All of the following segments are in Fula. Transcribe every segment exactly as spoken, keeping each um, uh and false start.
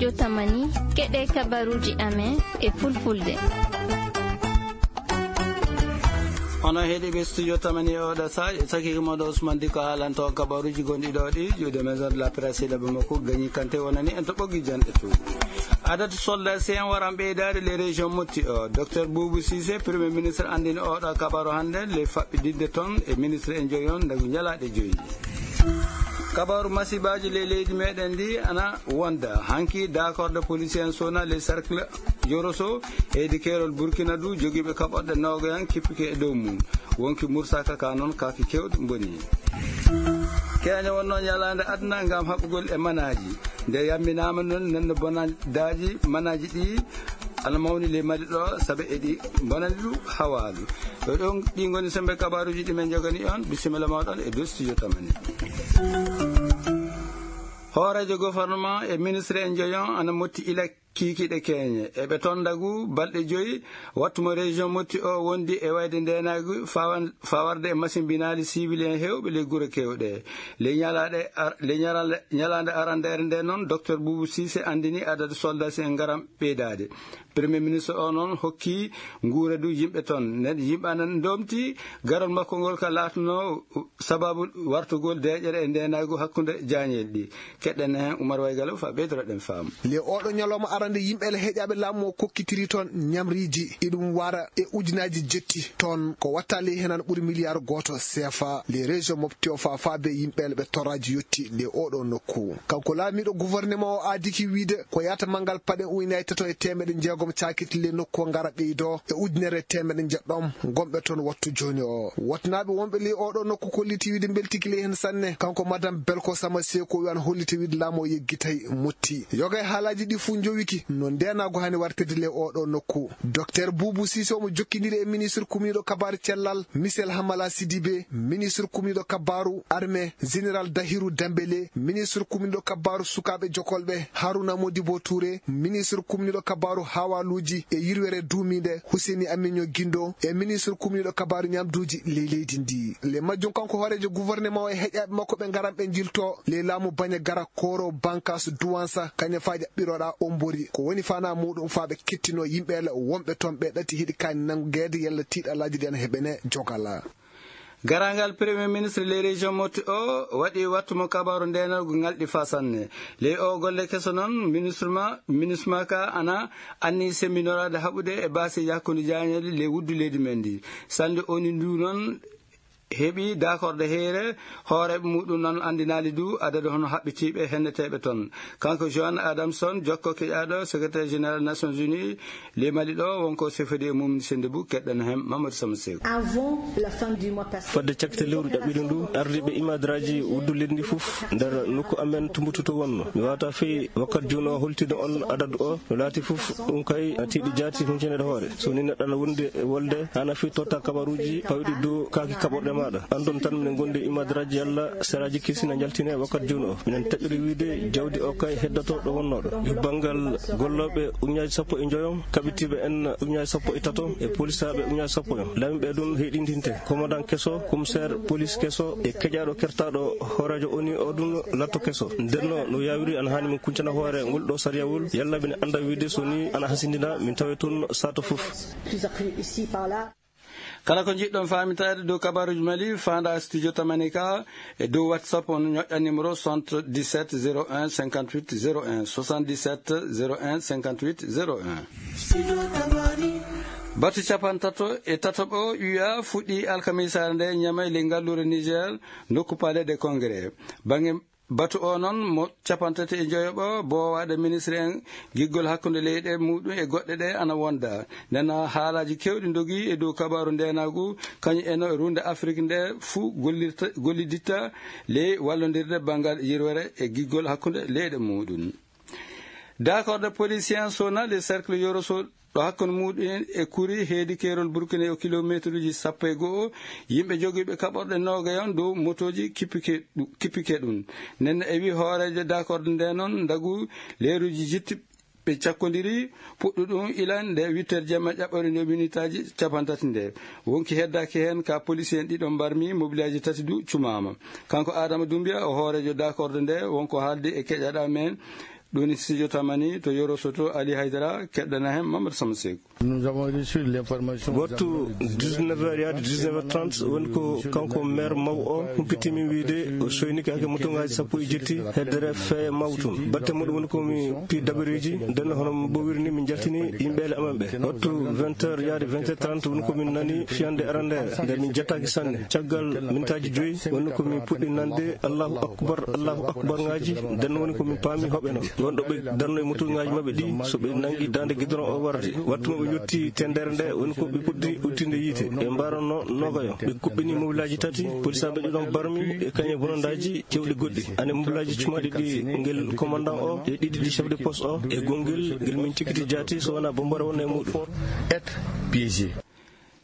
Yo tamani, keɗe kabaruuji amen e fulfulde. Onon heɗiiɓe studio tamani e oɗo saaj, e sakiike moɗo Ousmane Diko haalanto kabaruuji gonɗi ɗo ɗi, juuɗe maison de la presse e ɗaɓɓe makko gañi kante wonani en to ɓoggi janɗe to. Adatu soldat si en waran ɓeydaade les régions motti o. Docteur Boubou Cissé, premier ministre, anndini oɗo kabaru hannde, le faɓɓidinde toon e ministre en joyi on, ndagu ñalaaɗe joyi. Kabaru masibaaji ley leydi meɗen ndi ana wonda. Hanki dakorde policier en sona les cercle Yoroso, heydi keerol Burkina du, jogiiɓe kaɓorɗe noogayan kippike e dow mum. Wonki Moussa Kaka noon, kaaki keewɗi mboni. Keña wonno ñalaande aduna ngam haɓugol e manaaji. Nde yamminaama noon, nenne bonandaaji, manaaji ɗi ana mawni ley Mali ɗo, sabe eɗi bonani ɗum hawaalu. Ɗo ɗon ɗi ngoni sembe kabaruuji ɗi men jogani on. Bisimilla mawɗon e dow studio tamani. Hooreejo gouvernement e ministre en joyon ana motti ila kiikiiɗe keeñe. Eɓe toon ndagu balɗe joyi, wattu mo région motti o wondi e wayde ndeenaagu fawan-, fawarde e masimbinaali siwil en heewɓe ley gure keewɗe. Ley ñalaaɗe ar-, ley ñarale-, ñalaande arandeere nde noon, docteur Boubou Cissé anndini adadu soldat si en ngaran ɓeydaade. Premier ministre o noon hokki nguure du yimɓe toon. Nen yimɓe anan ndomti garol makko ngol ka laatno sababu wartugol deeƴere e ndeenaagu hakkunde jaañeeli ɗi. Keɗɗen heen Oumar Waygalo fa ɓeydoroɗen faamu. Le oɗo ñalawma arande yimɓe le heƴaɓe laamu o kokkitiri toon ñamriiji iɗum wara e ujunaaji jetti toon ko watta ley henan ɓuri miliyaaru gooto C F A. Le région mofti o fa fa be yimɓe le ɓe torraji yotti le oɗo nokku. Kanko laamiɗo gouvernement o aadiki wiide ko yaata mangal paɗe ujunaaji tato e teemeɗe jeegom caakiti le nokku o ngara ɓeydo e ujunere e teemeɗe jeɗɗom gonɓe toon wattu jooni o. Wotnaaɓe wonɓe ley oɗo nokku kolliti wiide mbeltiki ley heen sanne. Kanko madame Belko Sama Seko wiyan holliti wiide laamu o yeggitay motti. Yoga e haalaaji ɗi fuu njowiki no ndeenaagu hani wartirde ley oɗo nokku. Docteur Boubou Cissé omo jokkindiri e ministre kumniiɗo kabaaru cellal, Michel Hamala Sidibé, ministre kumniiɗo kabaaru armée, général Dahirou Dembélé, ministre kumniiɗo kabaaru sukaaɓe jokolɓe, Harouna Modibo Touré, ministre kumniiɗo kabaaru hawaluuji e yirwere duumiinde, Husseini Aminio Guindo, e ministre kumniiɗo kabaaru ñamduuji ley leydi ndi. Le majjum kanko hooreejo gouvernement o e heƴaaɓe makko ɓe ngaran ɓe njilto ley laamu Bandiagara Koro Bankass Douansa, kañum fa ƴaɓɓiroɗa Ombori. Ko woni fana muɗum fa ɓe kettino yimɓe le wonɓe toon ɓe ɗati hiɗi kaani nangeede yalla tiiɗalaaji ɗi ana heɓene jogala. Garangal premier ministre ley région motti o waɗi wattu mo kabaru ndenal go ngalɗi fa sanne. Ley o golle keso noon, ministre ma, ministre ma ka ana anni sembinoraade haɓude e baasi hakkunde jaañeeli ley wuddu leydi men ndi. Sannde oni ndu noon heɓi dakorde heere, hooreeɓe muɗum noon anndinaali du adadu hono haɓɓitiiɓe henneteeɓe toon. Kanko Joan Adamson, jokko keƴaaɗo secrétaire général Nations Unies, ley Mali ɗo, wonko sefodi e mum sende bu keɗɗen heen Mamadou Sama Seeku. Avant la fin du mois passé, fodde cakte lewru ɗaɓɓiɗo ndu, ardiiɓe imadraji wuddu leydi ndi fof nder nokku amen Tumbutu to wonno. Mi wawata fey wakkat jooni o holtino on adadu o no laati fof, ɗum kay tiiɗi jaati huncanede hoore. So ni neɗɗo ana wondi e wolde, ana fii totta kabaruuji pawɗi dow kaaki kaɓorɗe maaɗa. Andon tan minen gondi imadraji yalla seraji kirsi na jaltine wakkat jooni o. Minen taƴori wiide jawdi o kay heddoto ɗo wonnoɗo. E banngal gollooɓe ujunnaaji sappo e njoyo, kaɓitiiɓe en ujunnaaji sappo e tato, e polisaaɓe ujunnaaji sappo en. Laamiiɓe ɗum heyɗintinte. Commandant keso, commissaire police keso, e keƴaaɗo kertaaɗo hooreejo oni o ɗum latto keso. Nden no, no yaawiri ana haani min kuncana hoore ngol ɗo sariyawol, yalla mine annda wiide so ni ana hasindina min tawe toon sato fof. Kala ko njiɗɗon faamitaade dow kabaruuji Mali, faanda studio Tamanika e dow WhatsApp, on ñoƴƴa numéro soixante-dix-sept zéro un cinquante-huit zéro un, soixante-dix-sept zéro un cinquante-huit zéro un. Batu capantato e tataɓo U A fuɗɗi alkamisaare nde Ñamey, ley ngalluure Niger, nokku Palais des Congrès. Bannge batu o noon mo capantati e njoyoɓo boowaɗe ministre en giggol hakkunde leyɗe muɗum e goɗɗe ɗe ana wonda. Ndena haalaaji kewɗi ndogi e dow kabaru ndenagu, kañum en e runde Afrik nde fuu gollirta, golliditta ley wallondirde banngal yirwere e giggol hakkunde leyɗe muɗum. Dakorde polisien sona le cercle Yoroso ɗo hakkunde muɗum e kuri heedi keerol Burkina o kilomeetruuji sappo e go'o, yimɓe jogiiɓe kaɓorɗe noogayon dow motooji kippike ɗu-, kippike ɗum. Nden e wi hooreejo dakorde nde noon, ndagu leeruuji jitti ɓe cakkondiri, puɗɗu ɗum ila nde huit heures jamma ƴaɓɓori nde minitaaji capantati nde. Wonki heddaaki heen ka polisien ɗiɗo mbarmi, mobilaaji tati du cumaama. Kanko Adama Dumbiya o hooreejo dakorde nde, wonko haaldi e keƴaɗa men. Ɗum ni studio Tamani to Yoro Soto, Ali Haydara, keɗɗana heen Mamadou Sama Seeku. Wattu dix-neuf heures yaade dix-neuf heures trente woni ko kanko maire mawɗo o humpitimi wiyde o soynike hake motuŋaaji sappo e jetti heddere feeya mawɗo tun. Batte muɗum woni ko mi pi dabareeji, nden hono mo wirni mi jaltini yimɓe ele amen ɓe. Wattu vingt heures yaade vingt heures trente woni ko min nani fiyande arande nde min jettaaki sanne. Caggal mintaaji joyi woni ko min puɗɗi nande Allahu Akbar, Allahu Akbar ngaaji, nden woni ko min paami hoɓɓe non. Wonɗo ɓe darno e motuŋaaji maɓɓe ɗi, so ɓe nangi daande gidron o warde. Wattu mo ɓe yotti tendere nde, woni ko ɓe puɗɗi udditinde yiite. Ɓe mbaranno nogayo. Ɓe kuɓɓini mobilaaji tati, polisaaɓe ɗiɗon barmi, e kañe bonondaaji cewɗi goɗɗi. Ane mobilaaji cumaɗi ɗi ngel commandant o, e ɗiɗi ɗi chef de poste o, e gongel ngel min cikiti jaati so wona bombore wonno e muɗum. Être piégé.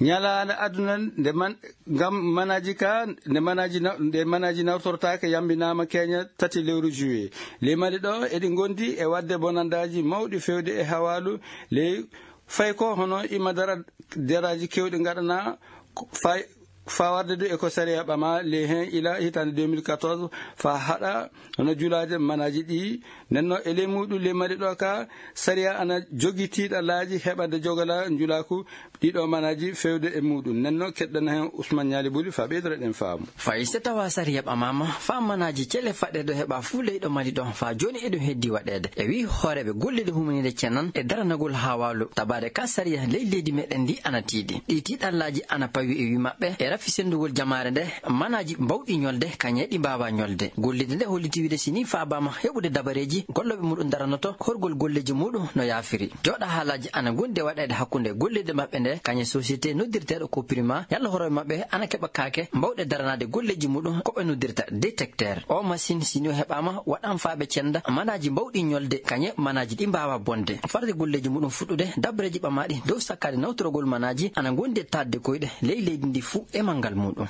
Ñalaande aduna nde man, ngam manaaji ka, nde manaaji na-, nde manaaji nawtortaake yambinaama keña tati lewru juillet. Ley Mali ɗo, eɗi ngondi e waɗde bonandaaji mawɗi fewde e hawaalu ley fay ko hono ima dara-, daraaji kewɗi ngaɗana ko fay-, fawarde du e ko sariya ɓama ley heen ila hitaande deux mille quatorze fa haɗa hono julaade manaaji ɗi. Nenno e ley muɗum ley Mali ɗo ka, sariya ana jogi tiiɗalaaji heɓande jogala njulaaku ɗiɗo manaaji fewde e muɗum. Nenno keɗɗana heen Ousmane Ñaali Buli fa ɓeydoro ɗen faamu. Fay so tawa sariya ɓamaama, fa manaaji cele faɗɗe ɗo heɓa fuu leyɗo Mali ɗo, fa jooni eɗum heddi waɗeede. E wii hooreeɓe golliiɗo humaninde cenan e daranagol hawaalu, tabaade ka sariya ley leydi meɗen ndi ana tiiɗi. Ɗi tiiɗallaaji ana pawi e wii maɓɓe, e rafi senndugol jamaare nde, manaaji mbawɗi ñolde, kañe ɗi mbaawa ñolde. Golliiɗo nde holliti wiide si ni faabaama heɓude dabareeji, gollooɓe muɗum daranoto horgol golleeji muɗum no yaafiri. Jooɗa haalaaji ana ngondi e waɗeede hakkunde golliiɗo maɓɓe nde, kañe société noddirteeɗo ko Prima, yalla horooɓe maɓɓe ana keɓa kaake mbawɗe daranaade golleeji muɗum ko ɓe noddirta détecteur. O machine si ni o heɓaama, waɗan faa ɓe cenda manaaji mbawɗi ñolde, kañe manaaji ɗi mbaawa bonde. Farde golleeji muɗum fuɗɗude, dabareeji ɓamaaɗi dow sakkaade nawtorogol manaaji ana ngondi e taadde koyɗe ley leydi ndi fuu e manngal muɗum.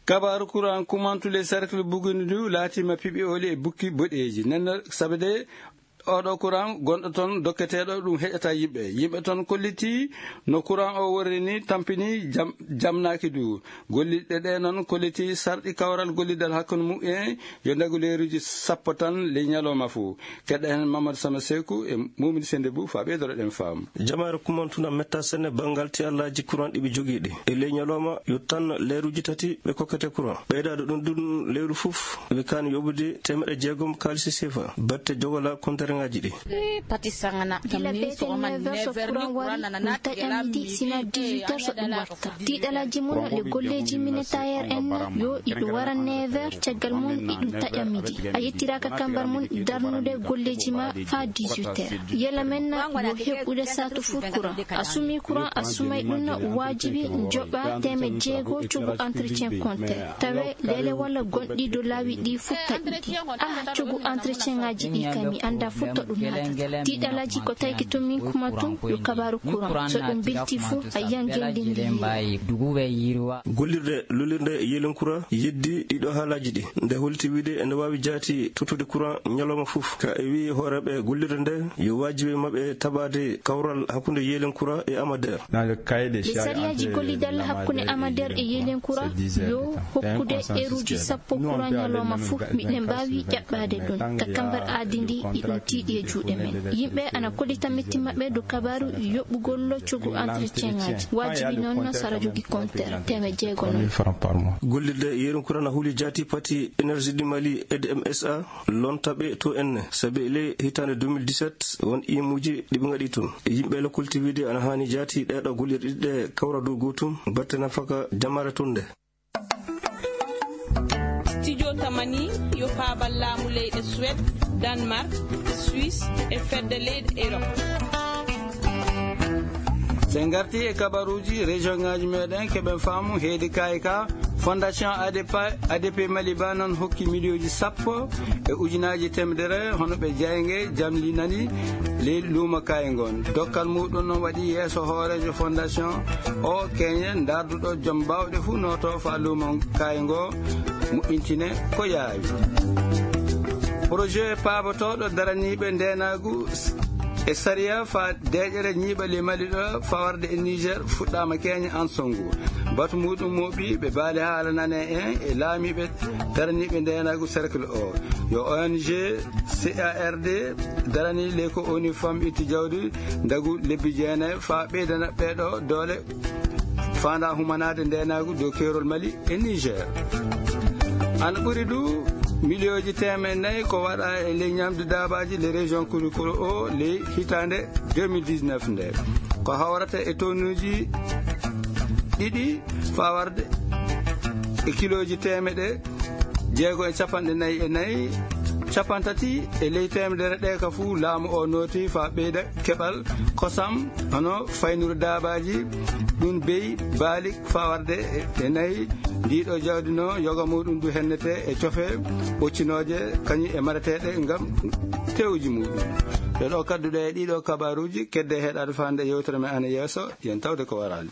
Kabaaru kuran kumantu ley cercle Buguni du laatima piɓi oli e bukki boɗeeji. Nenno sabe de oɗo kuran gonɗo ton dokketeeɗo ɗum heƴata yimɓe. Yimɓe ton kolliti no kuran o worri ni tampini jam-, jamnaaki du. Golliɗɗe ɗe non kolliti sarɗi kawral gollidal hakkunde mu'en yo ndagu leeruji sappo tan ley ñalawma fuu. Keɗɗa heen Mamadou Sama Seeku e Mumini Sende Buu fa ɓeydoro ɗen faamu. Jamaare kumantuna metta sene banngal ti allaaji kuran ɗi ɓe jogii ɗi. E ley ñalawma yo tan leeruji tati ɓe kokkete kuran. Ɓeydaade ɗum ɗum leeru fof ɓe kaani yoɓude teemeɗɗe jeegom kaalisi sefa batte jogola kontereŋaaji ɗi. Gila beete neuf heures so kuran wari, ɗum taƴa midi, sina dix-huit heures so ɗum warta. Tiiɗalaaji mum le golleeji minitayeer en yo iɗum wara neuf heures, caggal mum iɗum taƴa midi. A yettiraaka kambar mum darnude golleeji ma faa dix-huit heures. Yela men na yo heɓɓude saatu fuu kuran. A sumii kuran, a sumay ɗum na waajibi njoɓa teemeɗɗe jeego cogu entretien compteur. Tawe leele walla gonɗi dow laawi ɗi fuu taƴi ɗi. Aha, cogu entretien ŋaaji ɗi kam mi annda fuu to ɗum naatata. Tiiɗalaaji ko tawi ki to min kuma tun yo kabaaru kuran. So ɗum bilti fuu a yiyan gelle ndi. Gollirde lolirde yeelen kuran yeddi ɗiɗo haalaaji ɗi. Nde holti wiide ene waawi jaati tottude kuran ñalawma fof. Ka e wii hooreeɓe gollirde nde yo waajibi maɓɓe taɓaade kawral hakkunde yeelen kuran e Amader. Le sariyaaji gollidal hakkunde Amader e yeelen kuran yo hokkude eruuji sappo kuran ñalawma fof, miɗen mbaawi ƴaɓɓaade ɗum. Ka kambar aadi ndi iɗum tiiɗi e juuɗe men. Yimɓe ana kollita metti maɓɓe dow kabaaru yoɓɓugol cogu entretien ŋaaji. Waajibi noon sara jogi compteur teemeɗɗe jeego noon. Gollirde yeelen kuran na huli jaati pati Énergie du Mali, E D M S A, lonta ɓe to enne, sabi le hitaande deux mille dix-sept won imuuji ɗi ɓe ngaɗi tun. Yimɓe le kulti wiide ana haani jaati ɗeeɗo gollirɗe ɗiɗi ɗe kawra dow gootum, batte nafaka jamaare tun nde. Studio Tamani yo paabal laamu leyɗe Suède, Danemark, Suisse e fedde leyɗe Europe. So en ngarti e kabaruuji région ŋaaji meɗen, keɓen faamu heedi kayi ka, Fondation A D P, A D P Mali ba noon hokki miliyonji sappo e ujunaaji temedere hono ɓe jayge jamlinani ley luumo kayi ngon. Dokkal muɗum noon waɗi yeeso hooreejo fondation o keñe ndarduɗo joom baawɗe fuu nooto faa luumo kayi ngo moƴƴintine ko yaawi. Projet paabotooɗo daraniiɓe ndeenaagu e sariya faa deeƴere ñiiɓa ley Mali ɗo fawarde e Niger fuɗɗaama keñe an sonngu. Watu muɗum moɓi ɓe baali haala nane en e laamiiɓe daraniiɓe ndeenaagu cercle o. Yo O N G C A R D darani leyko O N U fam itti jawdi ndagu lebbi jeenayi faa ɓeydana ɓeeɗo doole faanda humanaade ndeenaagu dow keerol Mali e Niger. Ana ɓuri du miliyooji teemeɗe nayi ko waɗa e ley ñamde daabaaji le région kurikolo o ley hitaande deux mille dix-neuf nde. Ko hawrata e tonnuuji ɗiɗi faa warde e kilooji teemeɗe jeego e capanɗe nayi e nayi, capantati e ley teemedere ɗe ka fuu laamu o nooti faa ɓeyda keɓal kosam, hono faynuru daabaaji, ɗum beyi, baali, faa warde e, e nayi. Ndiiɗo jawdi no yoga muɗum du hennete e cofe ɓoccinooje, kañum e mareteeɗe ngam tewuji muɗum. Ɗe ɗo kadduɗe e ɗiɗo kabaruuji, kedde heɗaade faande yewtere men ana yeeso, yen tawde ko waraani.